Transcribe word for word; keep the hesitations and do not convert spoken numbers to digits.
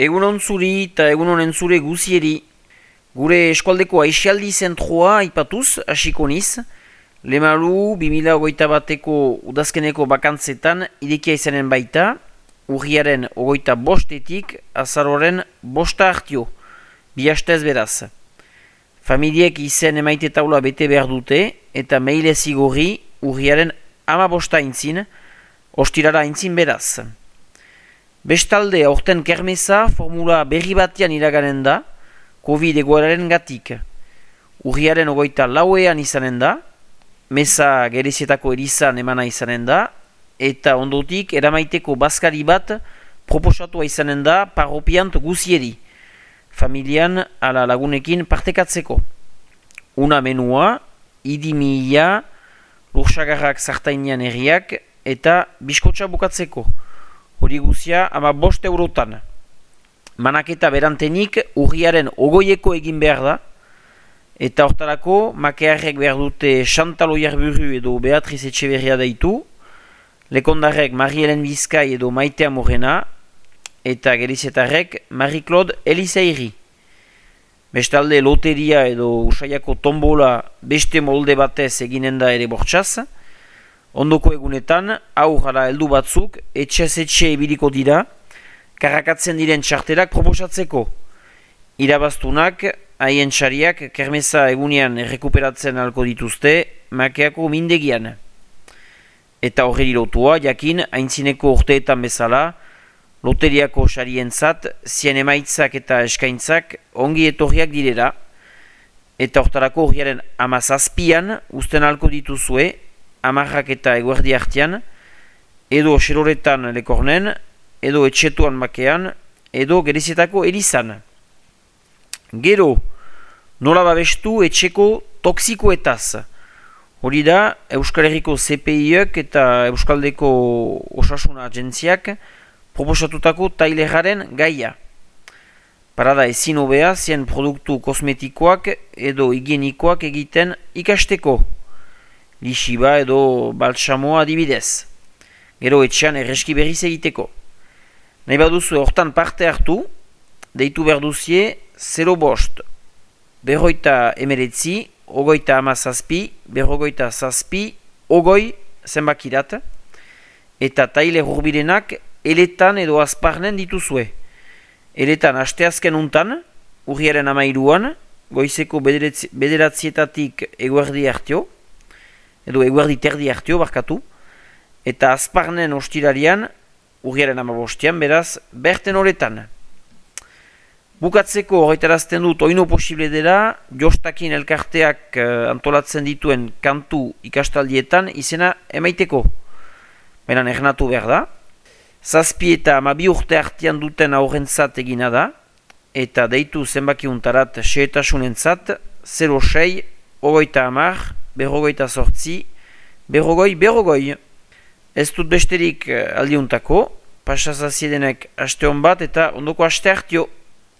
Egunon zuri eta egunon entzure guzieri. Gure eskualdeko aixialdi zentroa aipatuz, hasiko niz. Lemalu, bi mila hogeita bateko udazkeneko bakantzetan irekia izanen baita, urriaren hogeita bostetik azaroren bosta hartio, bi hastez beraz. Familiek izen emaite taula bete behar dute eta meile zigorri urriaren ama bosta aintzin, ostirara aintzin beraz. Bestalde, aurten kermeza formula berri batean iraganen da, Covid egoeraren gatik. Urriaren ogoita lauean izanen da, meza gerezietako erizan emana izanen da, eta ondotik eramaiteko bazkari bat proposatua izanen da parropiant guzieri, familian ala lagunekin partekatzeko. Una menua, idimia, lursagarrak zartainean herriak eta biskotxa bukatzeko. Hori guzia ama bost eurotan. Manaketa berantenik urriaren ogoieko egin behar da, eta hortarako makearrek behar dute Chantal Oiarburu edo Beatriz Etxeberria deitu, lekondarrek Marie-Hélène Bizkai edo Maitea Morena, eta gerizetarrek Marie-Claude Elizairi. Bestalde loteria edo usaiako tombola beste molde batez eginen da ere bortxaz. Ondoko egunetan, aurrara heldu batzuk, etxez etxe ibiliko dira, karakatzen diren txartelak proposatzeko. Irabaztunak, haien txariak, kermeza egunean errekuperatzen alko dituzte, makeako mindegian. Eta horreri lotua, jakin, haintzineko urteetan bezala, loteriako xarientzat, zien emaitzak eta eskaintzak ongi etorriak direla, eta hortarako urriaren amazazpian usten alko dituzue, amarrak eta eguerdi hartian, edo xeroretan lekornen, edo etxetuan makean, edo gerezietako erizan. Gero, nola babestu etxeko toksikoetaz. Hori da, Euskal Herriko C P I-ek eta Euskaldeko Osasuna Agentziak proposatutako taileraren gaia. Parada ezin hobea zien produktu kosmetikoak edo higienikoak egiten ikasteko. Lixiba edo baltsamoa adibidez. Gero etxean erreski berriz egiteko. Nahi baduzu hortan parte hartu, deitu berduzie zero bost, berroita emeretzi, ogoita amazazpi, berrogoita zazpi, ogoi zenbakirat, eta taile hurbirenak eletan edo azparnen dituzue. Eletan asteazken untan, urriaren amairuan, goizeko bederatzietatik eguerdi hartio, edo eguerdi terdi hartio barkatu, eta azparnen ostirarian, urriaren amabostian, beraz, berten horretan. Bukatzeko horretarazten dut oino posible dela, jostakin elkarteak antolatzen dituen kantu ikastaldietan izena emaiteko. Beran ernatu behar da. Zazpi eta amabi urte artean duten aurrentzat egina da, eta deitu zenbakiuntarat xeetasunentzat, zero sei, ogoita amar, berrogoita sortzi, berrogoi, berrogoi. Ez dut besterik aldiuntako, pasazaziedenek aste hon bat eta ondoko aste hartio.